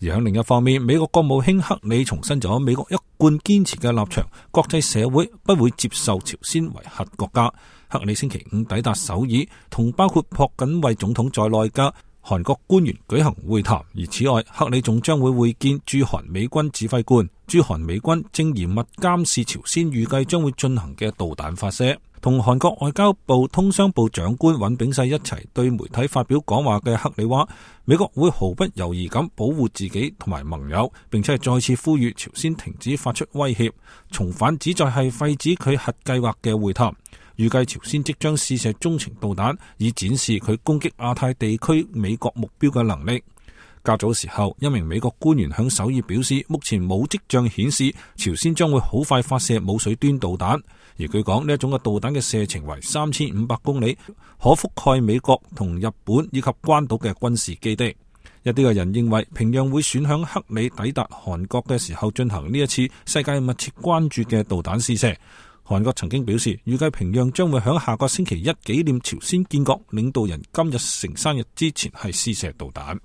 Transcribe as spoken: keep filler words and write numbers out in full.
而喺另一方面，美國國務卿克里重申咗美國一貫堅持嘅立場，國際社會不會接受朝鮮為核國家。克里星期五抵達首爾，同包括朴槿惠總統在內嘅韓國官員舉行會談。而此外，克里仲將會會見駐韓美軍指揮官。駐韓美軍正嚴密監視朝鮮預計將會進行嘅導彈發射。同韓國外交部通商部長官尹炳世一齊對媒體發表講話嘅克里話，美國會毫不猶豫咁保護自己同埋盟友，並且係再次呼籲朝鮮停止發出威脅，重返旨在係廢止佢核計劃嘅會談。預計朝鮮即將試射中程導彈，以展示佢攻擊亞太地區美國目標嘅能力。較早時候，一名美國官員向首爾表示，目前冇跡象顯示朝鮮將會好快發射舞水端導彈。而據講，呢一種嘅導彈嘅射程為三千五百公里，可覆蓋美國同日本以及關島嘅軍事基地。一啲嘅人認為，平壤會選響克里抵達韓國嘅時候進行呢一次世界密切關注嘅導彈試射。韓國曾經表示，預計平壤將會響下個星期一紀念朝鮮建國領導人金日成生日之前係試射導彈。